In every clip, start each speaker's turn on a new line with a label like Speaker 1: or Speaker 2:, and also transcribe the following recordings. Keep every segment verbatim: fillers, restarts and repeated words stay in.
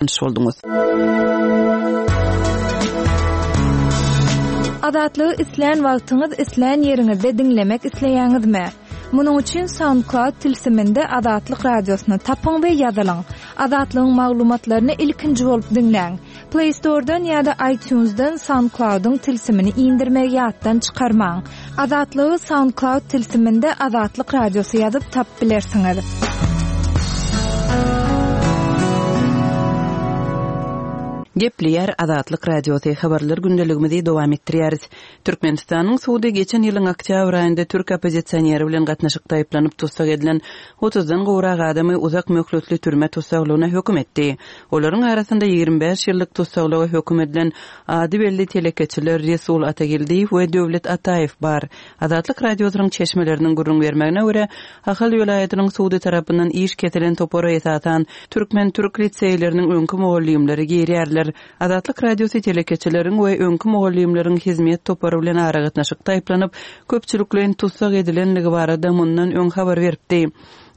Speaker 1: Tanyş bolduňyz.
Speaker 2: Azatlygy islän wagtyňyz, islän ýeriňizde diňlemek isleýäňizmi? Munuň üçin SoundCloud tilsiminde Azatlyk Radiosyny tapyň we ýazylyň. Azatlygyň maglumatlaryny ilkinji bolup diňläň. Play Store-dan ýa-da iTunes-dan SoundCloud-yň tilsimini indirmegi ýatdan çykarmaň. Azatlygy SoundCloud tilsiminde Azatlyk Radiosy ýazyp tapyp bilersiňiz.
Speaker 1: Gepleýär Azatlyk Radiosy, habarlar gündeligimizi dowam etdirýäris. Türkmenistanyň sudy geçen ýylyň oktýabr aýynda türk oppozisioneri bilen gatnaşykda aýyplanyp tussag edilen otuzdan gowrak adamy uzak möhletli türme tussaglygyna höküm etdi. Olaryň arasynda ýigrimi bäş ýyllyk tussaglyga höküm edilen ady belli telekeçiler Resul Atageldiýew we Döwlet Ataýew bar. Azatlyk Radiosynyň çeşmeleriniň gürrüň bermegine görä, Ahal welaýatynyň sudy tarapyndan iş kesilen topara esasan türkmen-türk liseýleriniň öňki mugallymlary girýärler. Azatlyk Radiosy telekeçileriň we öňki mugallymlaryň hizmet topary bilen aragatnaşykda aýyplanyp, köpçülikleýin tussag edilenligi barada mundan öň habar beripdi.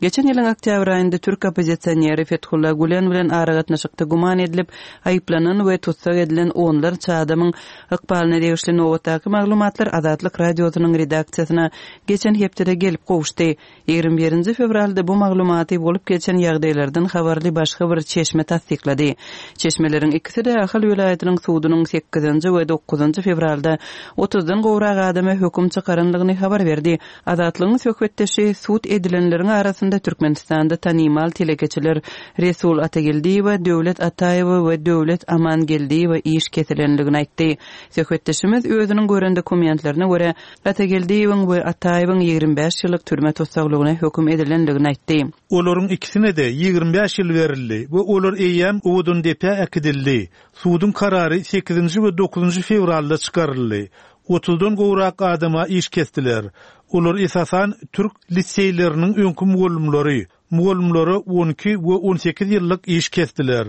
Speaker 1: Geçen ýylyň oktýabr aýynda türk oppozisioneri Fethullah Gülen bilen aragatnaşykda güman edilip, aýyplanan we tussag edilen onlarça adamyň ykbalyna degişli nobatdaky maglumatlar Azatlyk Radiosynyň redaksiýasyna geçen hepdede gelip gowuşdy. Ýigrimi birinji fewralda bu maglumaty bolup geçen ýagdaýlardan habarly başga bir çeşme tassyklady. Çeşmeleriň ikisi-de Ahal welaýatynyň sudunyň sekizinji we dokuzynjy fewralda otuzdan gowrak adama höküm çykaranlygyny habar berdi. Azatlygyň söhbetdeşi sud edilenleriň arasynda Türkmenistanda tanymal telekeçiler Resul Atageldiýewe, Döwlet Ataýewe we Döwlet Amangeldiýewe iş kesilenligini aýtdy. Söhbetdeşimiz özüniň gören dokumentlerine görä, Atageldiýewiň we Ataýewiň ýigrimi bäş ýyllyk türme tussaglygyna höküm edilenligini aýtdy.
Speaker 3: Olaryň ikisine-de ýigrimi bäş ýyl berildi we olar eýýäm Owadandepä äkidildi. Suduň karary sekizinji we dokuzynjy fewralda çykaryldy. Otuzdan gowrak adama iş kesdiler. Olar esasan türk liseýleriniň öňki mugallymlary. Mugallymlara on iki we on sekiz ýyllyk iş kesdiler.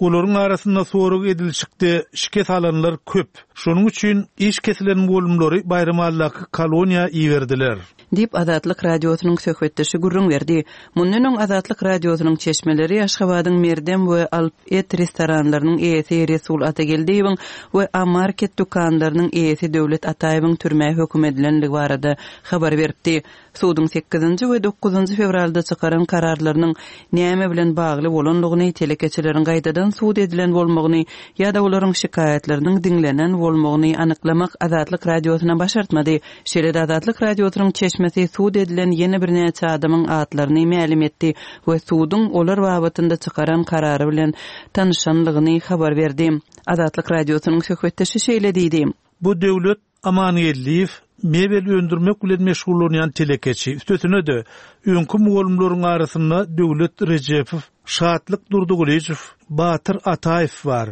Speaker 3: Olaryň arasynda sorag edilişikde şikes alanlar köp. Şonuň üçin iş kesilen mugallymlary Baýramalydaky koloniýa iberdiler.
Speaker 1: Diýip, Azatlyk Radiosynyň söhbetdeşi gürrüň berdi. Mundan öň Azatlyk Radiosynyň çeşmeleri Aşgabadyň Merdem we Alp et restoranlarynyň eýesi Resul Atageldiýewiň we A-Market dükanlarynyň eýesi Döwlet Ataýewiň türmä höküm edilenligi barada habar beripdi. Suduň sekizinji we dokuzynjy fewralda çykaran kararlarynyň näme bilen bagly bolanlygyny, telekeçileriň gaýtadan sud edilen bolmagyny ýa-da olaryň şikaýatlarynyň diňlenen bolmagyny anyklamak Azatlyk Radiosyna başartmady. Şeýle-de Azatlyk Radiosynyň çeşmesi sud edilen ýene birnäçe adamyň atlaryny mälim etdi we suduň olar babatynda çykaran karary bilen tanyşanlygyny habar berdi. Azatlyk Radiosynyň söhbetdeşi şeýle diýdi.
Speaker 3: Bu Döwlet Amangeldiýew mebel öndürmek bilen meşgullanýan telekeçi. Üstesine-de, öňki mugallymlaryň arasynda Döwlet Rejepow, Şatlyk Durdygulyjow, Batyr Ataýew bar.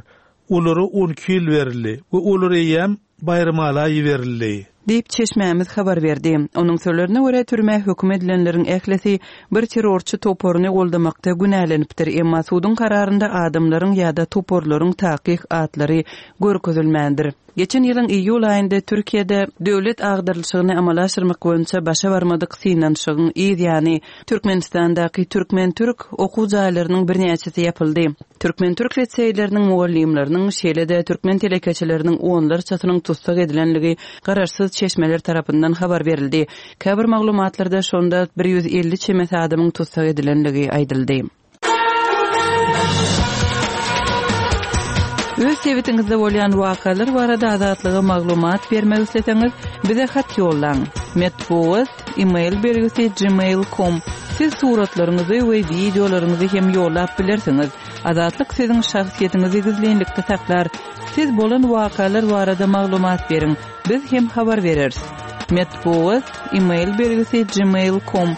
Speaker 3: Olara on iki ýyl berildi we olar eýýäm Baýramala iberildi.
Speaker 1: Diýip, çeşmämiz habar berdi. Onuň sözlerine görä, türmä höküm edilenleriň ählisi bir terrorçy toparyny goldamakda günälenipdir, emma suduň kararynda adamlaryň ýa-da toparlaryň takyk atlary görkezilmändir. Geçen ýylyň iýul aýynda Türkiýede döwlet agdarylyşygyny amala aşyrmak boýunça başa barmadyk synanyşygyň yz ýany Türkmenistandaky türkmen-türk okuw jaýlarynyň birnäçesi ýapyldy. Türkmen-türk liseýleriniň mugallymlarynyň, şeýle-de türkmen telekeçileriniň onlarçasynyň tussag edilenligi garaşsyz çeşmeler tarapyndan habar berildi. Käbir maglumatlarda şonda bir ýüz elli çemesi adamyň tussag edilenligi aýdyldy. Öz sebitiňizde bolýan wakalar barada Azatlyga maglumat bermek isleseňiz, bize hat ýollaň. Metbugat, e-mail belgisi gmail nokta com. Siz suratlaryňyzy we wideolaryňyzy hem ýollap bilersiňiz. Azatlyk siziň şahsyýetiňizi gizlinlikde saklar. Siz bolan wakalar barada maglumat beriň. Biz hem habar bereris. Metbugat, e-mail belgisi gmail nokta com.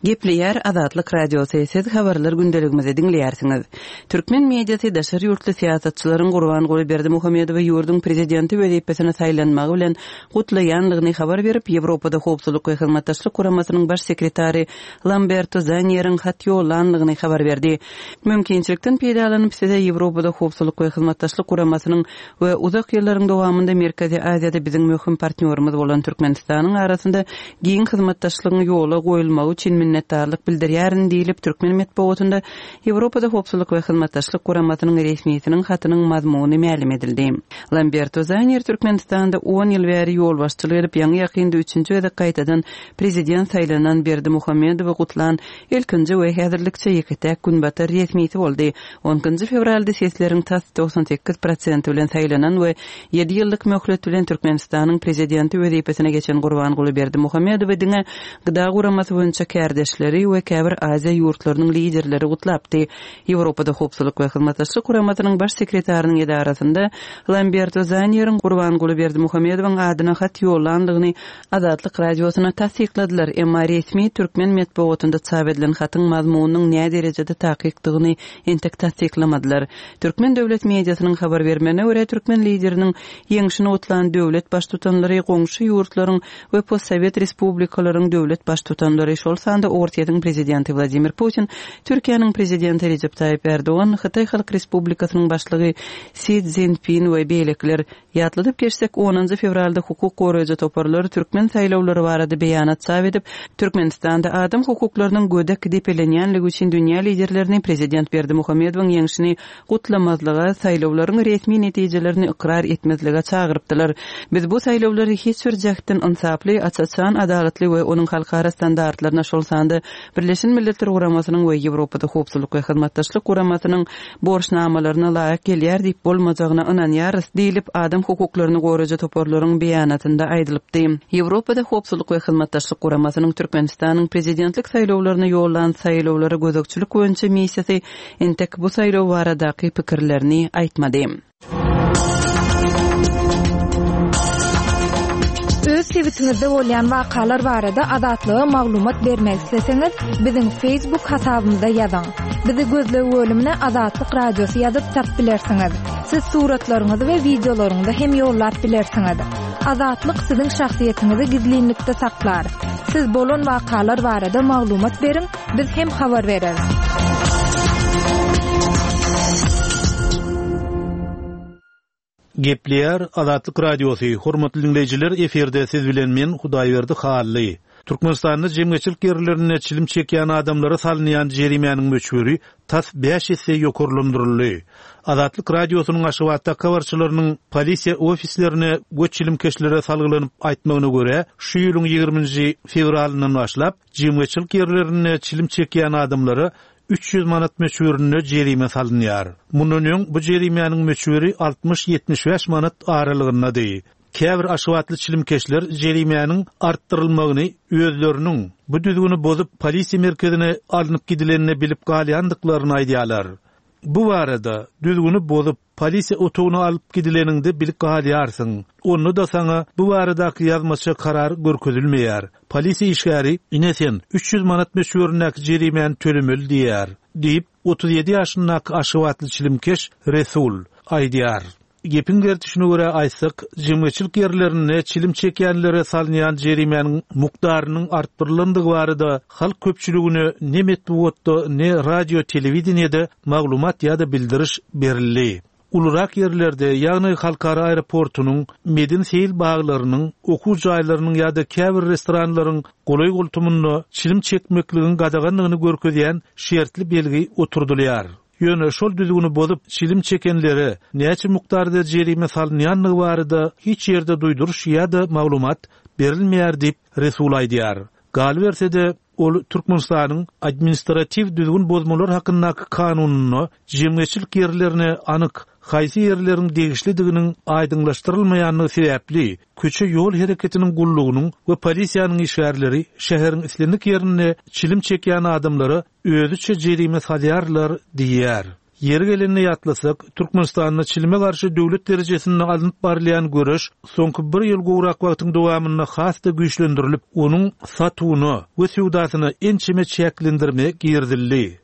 Speaker 1: Gepleýär Azatlyk Radiosy, siz habarlar gündeligimizi diňleýärsiňiz. Türkmen mediasy daşary ýurtly syýasatçylaryň Gurbanguly Berdimuhamedowy ýurduň prezidenti wezipesine saýlanmagy bilen gutlaýanlygyny habar berip, Ýewropada Howpsuzlyk we Hyzmatdaşlyk Guramasynyň baş sekretary Lamberto Zanieriň hat ýollanlygyny habar berdi. Mümkinçilikden peýdalanyp size Ýewropada Howpsuzlyk we Hyzmatdaşlyk Guramasynyň we uzak ýyllaryň dowamynda Merkezi Aziýada biziň möhüm partnýorymyz bolan Türkmenistanyň arasynda giň hyzmatdaşlygyň ýola goýulmagy üçin minnetdarlyk bildirýärin diýlip, türkmen metbugatynda Ýewropada Howpsuzlyk we Hyzmatdaşlyk Guramasynyň resmisiniň hatynyň mazmuny mälim edildi. Lamberto Zanier Türkmenistanda on ýyl bäri ýolbaşçylyk edip, ýaňy-ýakynda üçünji gezek gaýtadan prezident saýlanan Berdimuhamedowy gutlan ilkinji we häzirlikçe ýeke-täk günbatar resmisi boldy. On ikinji fewralda sesleriň tas togsan sekiz prosenti bilen saýlanan we ýedi ýyllyk möhlet bilen Türkmenistanyň prezidenti wezipesine geçen Gurbanguly Berdimuhamedowy diňe G D A guramasy boýunça kärdeşleri we käbir Aziýa ýurtlarynyň liderleri gutlapdy. Ýewropada Howpsuzlyk we Hyzmatdaşlyk Guramasynyň baş sekretarynyň edarasynda Lamberto Zanieriň Gurbanguly Berdimuhamedowyň adyna hat ýollandygyny Azatlyk Radiosyna tassykladylar, emma resmi türkmen metbugatynda çap edilen hatyň mazmunynyň nä derejede takykdygyny entek tassyklamadylar. Türkmen döwlet mediasynyň habar bermegine görä, türkmen lideriniň ýeňşini gutlan döwlet baştutanlary goňşy ýurtlaryň we postsowet respublikalaryň döwlet baştutanlary, şol sanda Orsýetiň prezidenti Wladimir Putin, Türkiýäniň prezidenti Recep Tayyip Erdogan, Hytaý Halk Respublikasynyň başlygy Si Szinpin we beýlekiler. Ýatladyp geçsek, onunjy fewralda hukuk goraýjy toparlar türkmen saýlawlary barada beýanat çap edip, Türkmenistanda adam hukuklarynyň gödek depelenýänligi üçin dünýä liderlerini prezident Berdimuhamedowyň ýeňşini gutlamazlyga, saýlawlaryň resmi netijelerini ykrar etmezlige çagyrypdylar. Biz bu saýlawlary hiç bir jähtden ynsaply, aç-açan, adalatly we onuň halkara standartlaryna, şol sanda Birleşen Milletler Guramasynyň we Ýewropada Howpsuzlyk we Hyzmatdaşlyk Guramasynyň borçnamalaryna laýyk gelýär diýip bolmajagyna ynanýarys diýlip, adam hukuklaryny goraýjy toparlaryň beýanatynda aýdylypdy. Ýewropada Howpsuzlyk we Hyzmatdaşlyk Guramasynyň Türkmenistanyň prezidentlik saýlawlaryna ýollan saýlawlara gözegçilik boýunça missiýasy entek bu saýlaw baradaky pikirlerini aýtmady.
Speaker 2: Öz sebitiňizde bolýan wakalar barada Azatlyga maglumat bermek isleseňiz, biziň Facebook hasabymyza ýazyň. Bizi gözleg bölümine Azatlyk Radiosy ýazyp tap bilersiňiz. Siz suratlaryňyzy we wideolaryňyzy hem ýollap bilersiňiz. Azatlyk siziň şahsyýetiňizi gizlinlikde saklar. Siz bolan wakalar barada maglumat beriň, biz hem habar bereris.
Speaker 3: Gepleýär Azatlyk Radiosy, hormatly dinleýjiler, efirde siz bilen men Hudaýberdi Hally. Türkmenistanda jemgyýetçilik ýerlerinde çilim çekýän adamlara salynýan jerimäniň möçberi tas bäş esse ýokarlandyryldy. Azatlyk Radiosynyň Aşgabatda habarçylarynyň polisiýa ofislerine we çilimkeşlere salgylanyp aýtmagyna görä, şu ýylyň ýigriminji fewralyndan başlap jemgyýetçilik ýerlerinde çilim çekýän adamlara üç ýüz manat möçberinde jerime salynýar. Mundan öň bu jerimäniň möçberi altmyş ýetmiş bäş manat aralygyndady. Käbir Aşgabatly çilimkeşler jerimäniň artdyrylmagyny özleriniň bu düzgüni bozup polisiýa merkezine alnyp gidilenini bilip galýandyklaryny aýdýarlar. Bu barada düzgüni bozup polisiýa otagyna alyp gidileninde bilip galýarsyň. Onda da sana bu baradaky ýazmaça karar görkezilmeýär. Polisiýa işgäri ine sen üç ýüz manat möçberindäki jerimäni tölemeli diýär, diýip otuz ýedi ýaşyndaky Aşgabatly çilimkeş Resul aýdýar. Gepiň gerdişine görä aýtsak, jemgyýetçilik ýerlerinde çilim çekýänlere salynýan jerimäniň mukdarynyň artdyrylandygy barada halk köpçüligine ne metbugatda, ne radio, telewideniýede maglumat ýa-da bildiriş berildi. Ulurak ýerlerde, ýagny halkara aeroportunyň, medeni seýil baglarynyň, okuw jaýlarynyň ýa-da käbir restoranlaryň golaý goltumynda çilim çekmekligiň gadaganlygyny görkezýän şertli belgi oturdylýar. Ýöne şol düzgüni bozup çilim çekenlere näçe mukdarda jerime salynýanlygy barada hiç ýerde duýduryş ýa-da maglumat berilmeýär diýip Resul aýdýar. Galyberse-de ol Türkmenistanyň administratiw düzgün bozmalar hakyndaky kanunyna jemgyýetçilik ýerlerine anyk haýsy ýerleriň degişlidiginiň aýdyňlaşdyrylmaýanlygy sebäpli köçe ýol hereketiniň gullugynyň we polisiýanyň işgärleri şäheriň islendik ýerinde çilim çekýän adamlara özüçe jerime salýarlar diýýär. Ýeri gelende ýatlasak, Türkmenistanda çilime garşy döwlet derejesinde alnyp barylýan göreş soňky bir ýyl gowrak wagtyň dowamynda has-da güýçlendirilip, onuň satuwyna we söwdasyna ençeme çäklendirme girizildi.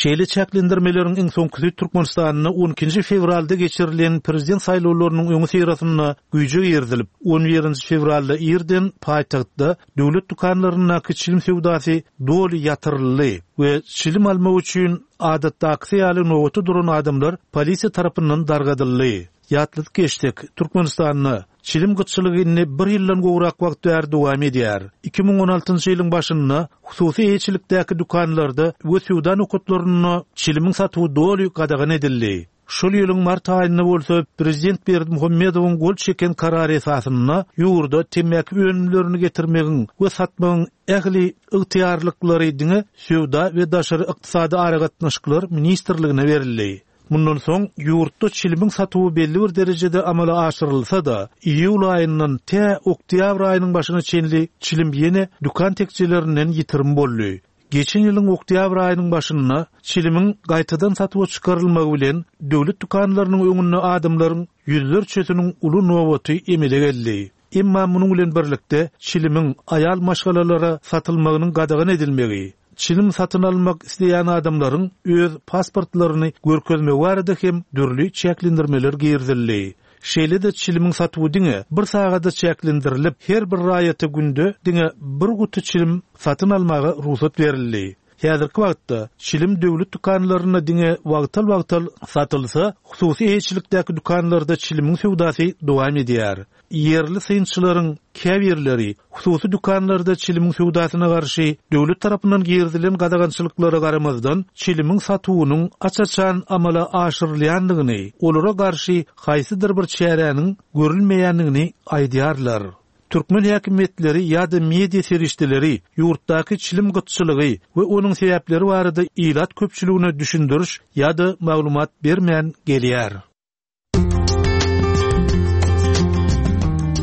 Speaker 3: Şeýle çäklendirmeleriň iň soňkusy Türkmenistanda on ikinji fewralda geçirilen prezident saýlawlarynyň öňi syrasynda güýje girizilip, on birinji fewralda irden paýtagtda döwlet dükanlaryndaky çilim söwdasy doly ýatyryldy we çilim almak üçin adatdaky ýaly nobata duran adamlar polisiýa tarapyndan dargadyldy. Ýatladyp geçdik, Türkmenistanda çilim gytçylygy indi bir ýyldan gowrak wagt bäri dowam edýär. Iki müň on altynjy ýylyň başynda hususy eýeçilikdäki dükanlarda we söwda nokatlarynda çilimiň satuwy doly gadagan edildi. Şol ýylyň mart aýynda bolsa Prezident Berdimuhamedowyň gol çeken karary esasynda ýurda temmäki önümlerini getirmegiň we satmagyň ähli ygtyýarlyklary diňe Söwda we Daşary Ykdysady Aragatnaşyklar Ministrligine berildi. Mundan soň ýurtda çilimiň satuwy belli bir derejede amala aşyrylsa da, iýul aýyndan tä oktýabr aýynyň başyna çenli çilim ýene dükan tekjelerinden ýitirim boldy. Geçen ýylyň oktýabr aýynyň başynda çilimiň gaýtadan satuwa çykarylmagy bilen döwlet dükanlarynyň öňünde adamlaryň ýüzlerçesiniň uly nobaty emele geldi. Emma munuň bilen birlikde çilimiň aýal maşgalalara satylmagynyň gadagan edilmegi, çilim satyn almak isleýän adamlaryň öz pasportlaryny görkezmegi barada hem dürli çäklendirmeler girizildi. Şeýle-de çilimiň satuwy diňe bir sagada çäklendirilip, her bir raýata günde diňe bir guty çilim satyn almaga rugsat berildi. Häzirki wagtda çilim döwlet dükanlarynda diňe wagtal-wagtal satylsa, hususy eýeçilikdäki dükanlarda çilimiň söwdasy dowam edýär. Ýerli synçylaryň käbirleri hususy dükanlarda çilimiň söwdasyna garşy döwlet tarapyndan girizilen gadagançylyklara garamazdan çilimiň satuwynyň aç-açan amala aşyrylýandygyny, olara garşy haýsydyr bir çäräniň görülmeýändigini aýdýarlar. Türkmen häkimiýetleri ýa-da media serişdeleri ýurtdaky çilim gytçylygy we onuň sebäpleri barada ilat köpçüligine düşündiriş ýa-da maglumat bermän gelýär.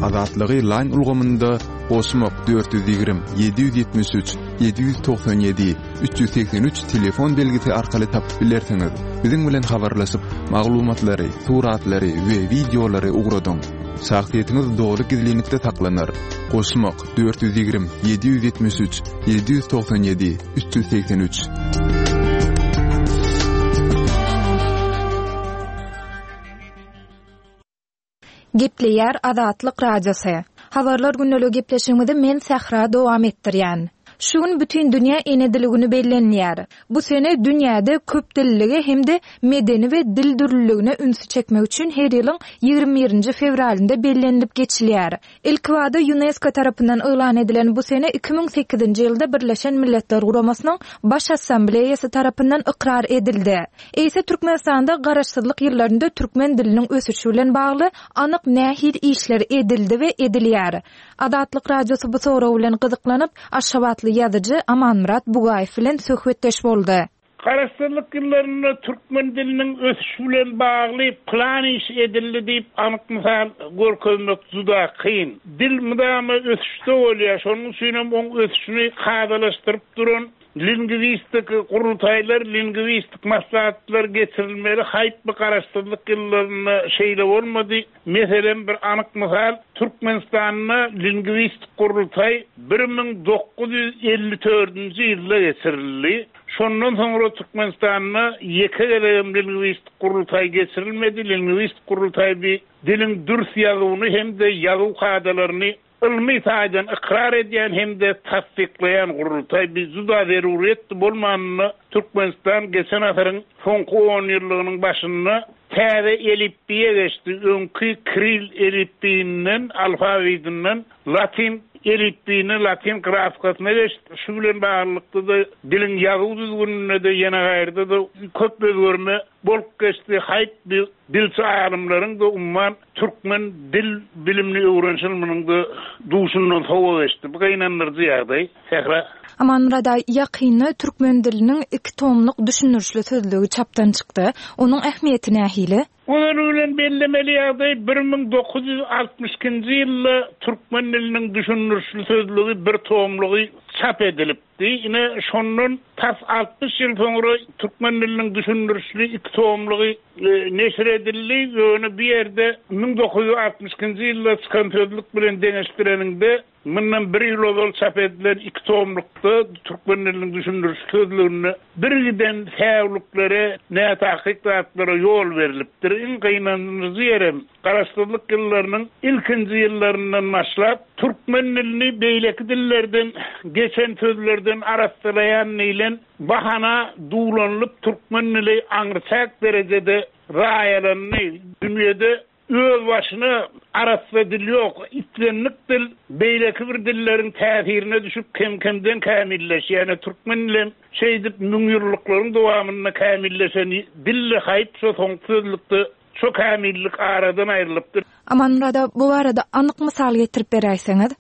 Speaker 4: Azatlygy line ulgamynda goşmak dört ýüz ýigrimi, ýedi ýüz ýetmiş üç, ýedi ýüz togsan ýedi, üç ýüz segsen üç telefon belgisi arkaly tapyp bilersiňiz. Biziň bilen habarlaşyp, maglumatlary, suratlary we wideolary ugradyň. Şahsyýetiňiz doly gizlinlikde saklanar. Goşmak dört ýüz ýigrimi, ýedi ýüz ýetmiş üç, ýedi ýüz togsan ýedi, üç ýüz segsen üç.
Speaker 2: Gepleýär Azatlyk Radiosy. Habarlar günlügi gepleşigimizi men Sähra dowam etdirýän. Şu gün bütün dünýä ene dili günü bellenýär. Bu sene dünýäde köp dillilige hem-de medeni we dil dürlüligine ünsi çekmek üçin her ýylyň ýigrimi birinji fewralynda bellenilip geçilýär. Ilk wada UNESCO tarapyndan yglan edilen bu sene iki müň sekizinji ýylda Birleşen Milletler Guramasynyň Baş Assambleýasy tarapyndan ykrar edildi. Eýse Türkmenistanda garaşsyzlyk ýyllarynda türkmen diliniň ösüşi bilen bagly anyk nähili işler edildi we edilýär. Azatlyk Radiosy bu sorag bilen gyzyklanyp, Aşgabatly ýazyjy Amanmyrat Bugaýew bilen söhbetdeş boldy.
Speaker 5: Garaşsyzlyk ýyllarynda türkmen diliniň ösüşi bilen bagly plan iş edildi diýip anyk mysal görkezmek juda kyn. Dil mydama ösüşde bolýar, şonuň üçin hem oň ösüşini kadalaşdyryp duran lingwistik gurultaýlar, lingwistik maslahatlar geçirilmeli. Haýp bu garaşsyzlyk ýyllarynda şeýle bolmady. Meselem bir anyk mysal, Türkmenistanda lingwistik gurultaý bir müň dokuz ýüz elli dördünji ýylda geçirildi. Şondan soňra Türkmenistanda ýeke gezegem lingwistik gurultaý geçirilmedi. Lingwistik gurultaý bir diliň dürs ýazuwyny hem-de ýazuw kadalaryny ylmy taýdan ykrar edýän hem-de tassyklaýan gurultaý bir juda zeruriyetdi bolmanynda Türkmenistan geçen asyryň soňky on ýyllygynyň başynda täze elipbiýe geçdi. Öňki kiril elipbiýinden, alfabidinden latin elipbiýine, latin grafikasyna geçdi. Şu bilen baglylykda da diliň ýazuw düzgüninde de ýene gaýrda da köp özgerme bolup geçdi. Haýp bir dilçi alymlaryň da umman türkmen dil bilimini öwrenişilminiň de duşundan sowa geçdi. Bu gynandyryjy ýagdaý. Sähra.
Speaker 2: Amanmyrat aý, ýakynda türkmen diliniň iki tomluk düşündirişli sözlügi çapdan çykdy. Onuň ähmiýeti nähili?
Speaker 5: Onuň bilen bellemeli ýagdaý bir müň dokuz ýüz altmyş ikinji ýylda türkmen diliniň düşündirişli sözlügi bir tomlugy çap edilipdi. Ine şondan tas altmyş ýyl soňra türkmen diliniň düşündirişli iki tomlugy, e, neşir edildi. Ýöne bir ýerde müň dokuz ýüz altmyş ikinji ýylda çykan sözlük bilen deňeşdireniňde mundan bir ýyl ozal çap edilen iki tomlukda türkmen diliniň düşündiriş sözlüginde bir giden säwliklere, nätakyk zatlara ýol berilipdir. Iň gynandyryjy ýerem garaşsyzlyk ýyllarynyň ilkinji ýyllaryndan başlap türkmen dilini beýleki dillerden geçen sözlerden arassalaýan diýlen bahana duwlanylyp türkmen dili aňryçäk derejede raýalandy. Dünýäde Özbaşyna arassa dil ýok. Islendik dil beýleki bir dilleriň täsirine düşüp kem-kemden kämilleşýär. Ýani türkmen dili şeýdip müňýyllyklaryň dowamynda kämilleşen dilli haýp şo soňky sözlükde şo kämillik aradan aýrylypdyr.
Speaker 2: Amanmyrat aga, bu barada anyk mysal getirip beräýseňiz?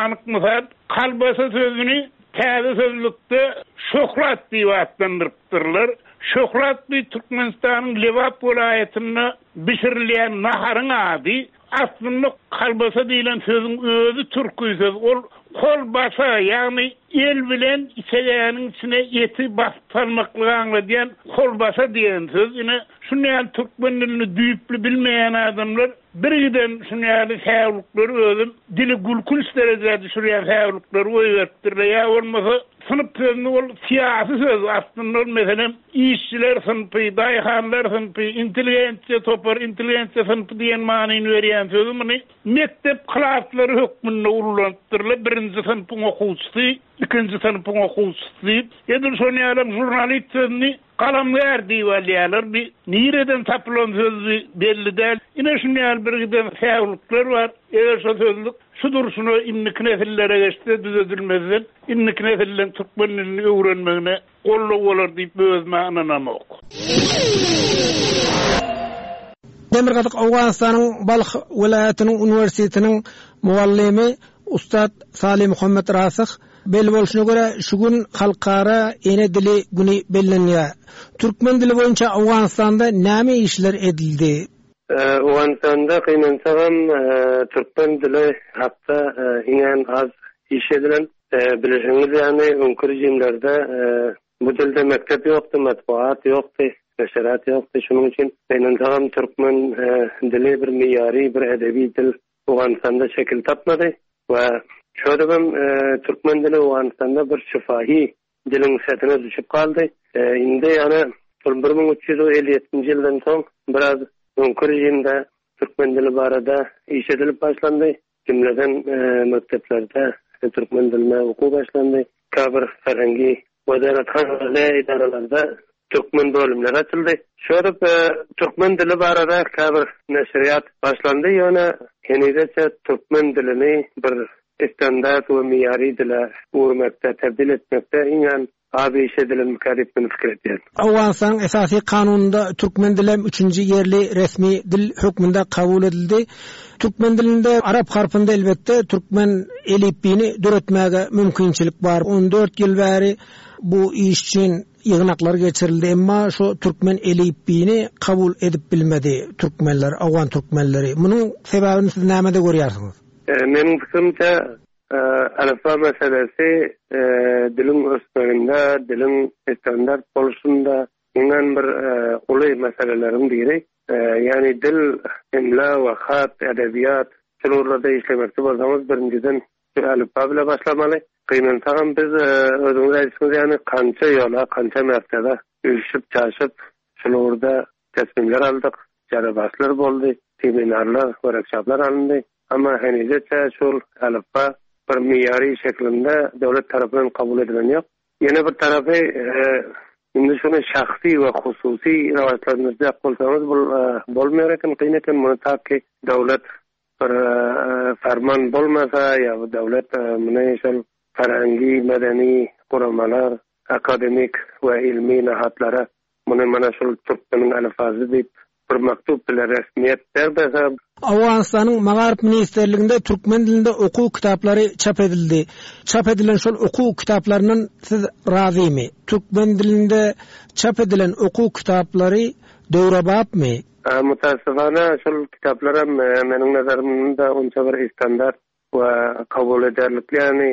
Speaker 5: Anyk mysal, kolbasa sözüni täze sözlükde şöhrat diýip atlandyrypdyrlar. Şöhrat bir Türkmenistanyň Lebap welaýatynda bişirilýän naharyň ady. Aslynda kolbasa diýlen sözüň özi türki söz. Ol kolbasa, ýagny el bilen içegäniň içine eti basyp salmaklygy aňladýan kolbasa diýen söz. Ine, şuny ýaly türkmen dilini düýpli bilmeýän adamlar bir giden şuny ýaly säwlikleri özüm dili gülkünç derejä düşürýän säwlikleri goýberipdirler. Ýa bolmasa synp sözüni ol syýasy söz aslynda ol meselem işçiler synpy, daýhanlar synpy, intelligensiýa topar, intelligensiýa synpy diýen manyny berýän sözü muny mekdep klaslary hökmünde ulanypdyrlar. Birinji synpyň okuwçysy, ikinji synpyň okuwçysy diýip, edil şony ýaly žurnalist sözüni galamgär diýip alýarlar. Bir nireden tapylan sözü belli däl. Ine şuny ýaly bir giden säwlikler bar. Eger şo sözlük şu durşuna indiki nesillere geçse düzedilmezden indiki nesillerin türkmen dilini öwrenmegine goldaw bolar diýip özüme ynanamok.
Speaker 6: Demirgazyk Owganystanyň Balh welaýatynyň uniwersitetiniň muallymy Ustad Salim Muhammed Rasyh belli bolşuna görä şu gün halkara ene dili güni bellenýär. Türkmen dili boýunça Owganystanda näme işler edildi?
Speaker 7: Owganystanda gynansagam türkmen dili hakda iňňän az iş edilen. Bilişiňiz ýaly öňki rejimlerde bu dilde mekdep ýokdy, matbuat ýokdy, neşirat ýokdy. Şunuň üçin gynansagam türkmen dili bir miýary, bir edebi dil Owganystanda şekil tapmady we şöyle türkmen dili Owganystanda bir şifahi diliň setine düşüp galdy. Indi ýani bir müň üç ýüz elli ýedinji ýyldan soň biraz öňki rejimde türkmen dili barada iş edilip başlandy. Jümleden mekdeplerde türkmen diline okuw başlandy. Käbir ferhengi wezarethanada idaralarda türkmen bölümleri açyldy. Şöyle türkmen dili barada käbir neşiriyat başlandy. Ýöne henizçe türkmen dilini bir standart we miýary dile öwürmekde, tebdil etmekde iňňän az iş edilen diýip men pikir edýän.
Speaker 6: Owganystanyň esasy kanunynda türkmen dili üçünji ýerli resmi dil hökmünde kabul edildi. Türkmen dilinde arap harpynda elbetde türkmen elipbiýini döretmäge mümkinçilik bar. on dört ýyl bäri bu iş üçin ýygnaklar geçirildi, emma şu türkmen elipbiýini kabul edip bilmedi türkmenler, Owgan türkmenleri. Munuň sebäbini siz nämede görýärsiňiz?
Speaker 7: Meniň pikirimçe, alfa meselesi diliň ösmeginde, diliň standart bolşunda iňňän bir uly meseleleriň biri. Ýani dil, imla we hat, edebiýat şularda işlemekçi bolsaňyz birinjiden alfa bile başlamaly. Gynansagam biz özüňiz aýtdyňyz ýani kança ýola, kança mertebe üşüp çaşyp şularda teslimler aldyk, jarabaslar boldy, seminarlar, workshoplar alyndy. Ama henizçe şul alfa bir miýary şeklinde döwlet tarapyndan kabul edilen ýok. Ýene bir tarapy, indi şuny şahsy we hususy raýatlarymyzda bolsaňyz bu bolmaýar eken, kyn eken muny ta ki döwlet bir farman bolmasa ýa bu döwlet muny şol ferhengi, medeni guramalar, akademik we ilmi nahatlara muny mana şol türkmeniň alfazy diýip bir maktub bile resmiyet bermese.
Speaker 6: Owganystanyň Magaryf Ministrliginde türkmen dilinde okuw kitaplary çap edildi. Çap edilen şol okuw kitaplaryndan siz razymy? Türkmen dilinde çap edilen okuw kitaplary döwrebapmy?
Speaker 7: Mutasyfana şol kitaplar hem meniň nazarymda onça bir standart we kabul ederlikli, ýani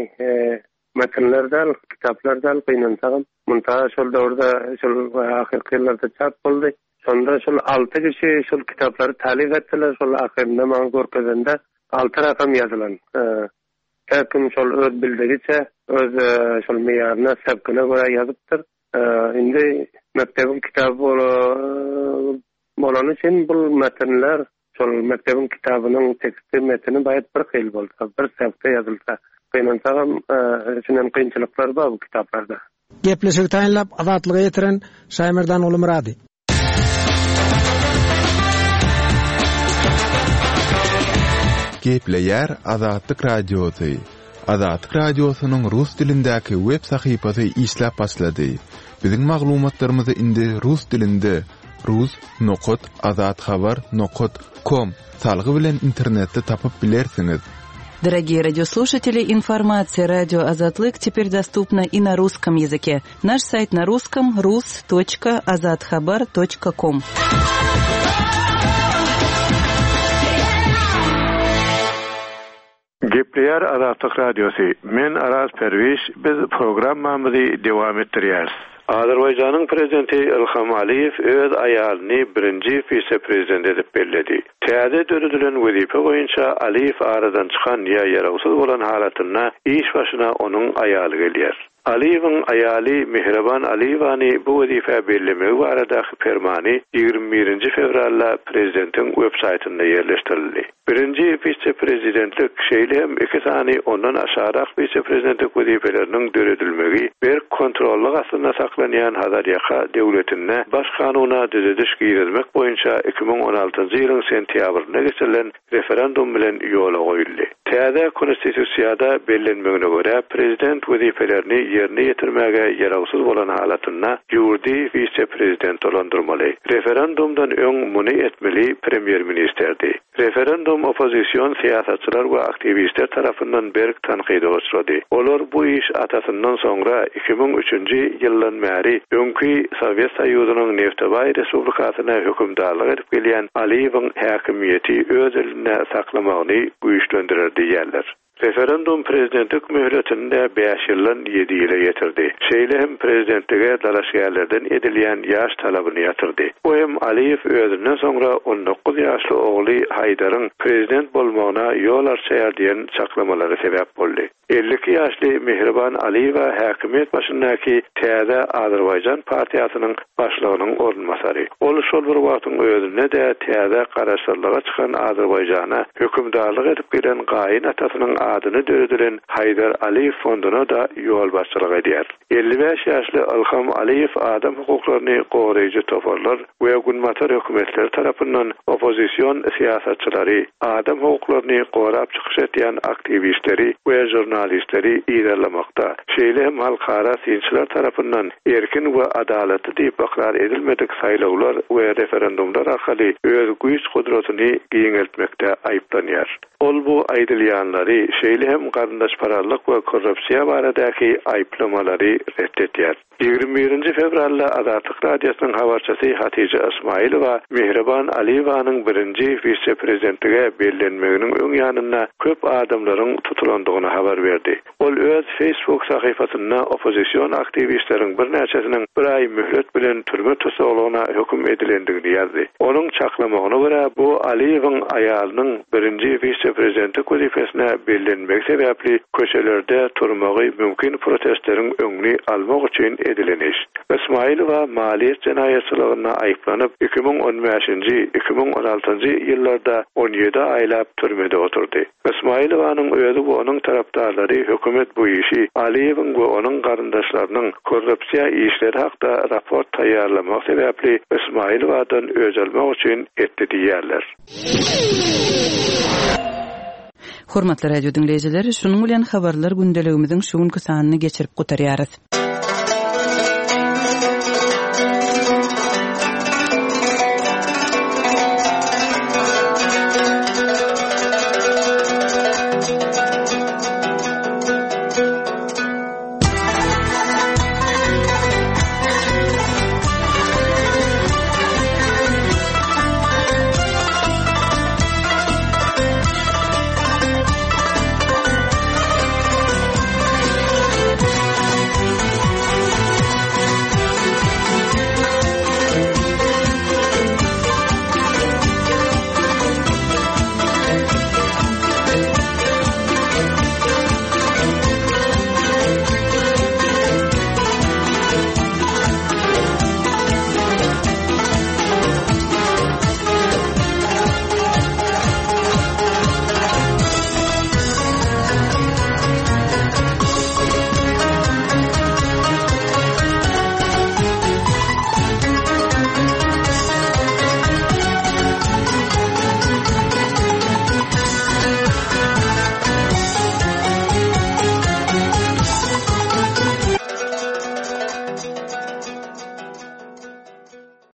Speaker 7: metinler däl, kitaplar däl, gynansagam. Munta şol döwürde, şol ahyrky ýyllarda çap boldy. Şonda şol alty kişi şol kitaplary talip etdiler, şol ahyrynda maňa görkezende alty rakam ýazylan. Her kim şol öz bildigiçe, öz şol miýaryna, sebkine görä ýazypdyr. Indi mekdebiň kitaby bolany üçin bu metinler şol mekdebiň kitabynyň teksti metini baýat bir hil bolsa, bir sebkde ýazylsa, gynansagam, içinden kynçylyklar bar bu kitaplarda.
Speaker 6: Gepleşigi taýynlap Azatlyga ýetiren Şaýmerdan Ulumyrady.
Speaker 4: Gepleýär Azatlyk Radiosy. Azatlyk Radiosynyň rus dilindäki web sahypasy işläp başlady. Biziň maglumatlarymyzy indi rus dilinde rus nokat azathabar nokat kom salgy bilen internetde tapyp bilersiňiz.
Speaker 1: Дорогие радиослушатели, информация радио Азатлык теперь доступна и на русском языке. Наш сайт на русском rus точка azathabar точка ком.
Speaker 8: Gepleýär Azatlyk Radiosy. Men Araz Perwiş, biz programmamyzy dowam etdirýäris. Azerbaýjanyň prezidenti Ilham Aliýew öz aýalyny birinji wise-prezident edip belledi. Täze döredilen wezipe boýunça Aliýew aradan çykan ýa ýarawsyz bolan halatynda iş başyna onuň aýaly gelýär. Aliýewiň aýaly Mehriban Aliýewany bu wezipe bellemegi baradaky fermany ýigrimi birinji fewralda prezidentiň web saýtynda ýerleşdirildi. Birinji wise-prezidentlik şeýle hem iki sany ondan aşarak wise-prezidentlik wezipeleriniň döredilmegi berk kontrollyk astynda saklanýan Hazarýaka döwletinde baş kanuna düzediş girizmek boýunça iki müň on altynjy ýylyň sentýabrynda geçirilen referendum bilen ýola goýuldy. Täze konstitusiýada bellenmegine görä prezident wezipelerini ýerine ýetirmäge ýarawsyz bolan halatynda ýurdy wise-prezident dolandyrmaly. Referendumdan öň muny etmeli premýer-ministerdi. Referendum oppozision syýasatçylar we aktiwistler tarapyndan berk tankyda uçrady. Olar bu iş atasyndan soňra iki müň üçünji ýyldan bäri öňki Sowet Soýuzynyň Neftebaý Respublikasyna hökümdarlyk edip gelýän Aliýewiň häkimiýeti öz elinde saklamagyny güýçlendirer diýýärler. Referendum prezidentlik möhletinde bäş ýyldan ýedi ýyla ýetirdi. Şeýle hem prezidentlige dalaşgärlerden edilýän ýaş talabyny ýatyrdy. Bu hem Aliýew özünden soňra on dokuz ýaşly ogly Haýdaryň prezident bolmagyna ýol açýar diýen çaklamalary sebäp boldy. Elli iki ýaşly Mehriban Aliýewa häkimiýet başyndaky Täze Azerbaýjan partiýasynyň başlygynyň orunbasary. Ol şol bir wagtyň özünde de täze garaşsyzlyga çykan Azerbaýjana hökümdarlyk edip gelen gaýyn atasynyň adyny döredilen Haýdar Aliýew fonduna da ýolbaşçylyk edýär. Elli bäş ýaşly Ilham Aliýew adam hukuklaryny goraýjy toparlar we günbatar hökümetleri tarapyndan oppozision syýasatçylary, adam hukuklaryny gorap çykyş etýän aktiwistleri we žurnalistleri yzarlamakda, şeýle hem halkara synçylar tarapyndan erkin we adalatly diýip ykrar edilmedik saýlawlar we referendumlar arkaly öz güýç gudratyny giňeltmekde aýyplanýar. Ol bu aýdylýanlary şeýle hem garyndaşpararlyk we korrupsiýa baradaky aýyplamalary ret etýär. Ýigrimi birinji fewralda Azatlyk Radiosynyň habarçysy Hatija Ismailowa Mehriban Aliýewanyň birinji wise-prezidentlige bellenmeginiň öň ýanynda köp adamlaryň tutulandygyny habar berdi. Ol öz Facebook sahypasynda oppozision aktiwistleriň birnäçesiniň bir aý möhlet bilen türme tussaglygyna höküm edilendigini ýazdy. Onuň çaklamagyna görä bu Aliýewiň aýalynyň birinji wise-prezidentlik wezipesine bellenmegi sebäpli köçelerde turmagy mümkin protestleriň öňüni almak üçin edilen iş. Ismailowa maliýet jenaýatçylygynda aýyplanyp iki müň on bäşinji, iki müň on altynjy ýyllarda on ýedi aýlap türmede oturdy. Ismailowanyň özi we onuň tarapdarlary hökümet bu işi Aliýewiň we onuň garyndaşlarynyň korrupsiýa işleri hakda raport taýýarlamak sebäpli Ismailowadan öç almak üçin etdi diýýärler.
Speaker 1: Hormatly radio diňleýjiler, şunuň bilen habarlar gündeligimiziň şu günki sanyny geçirip gutarýarys.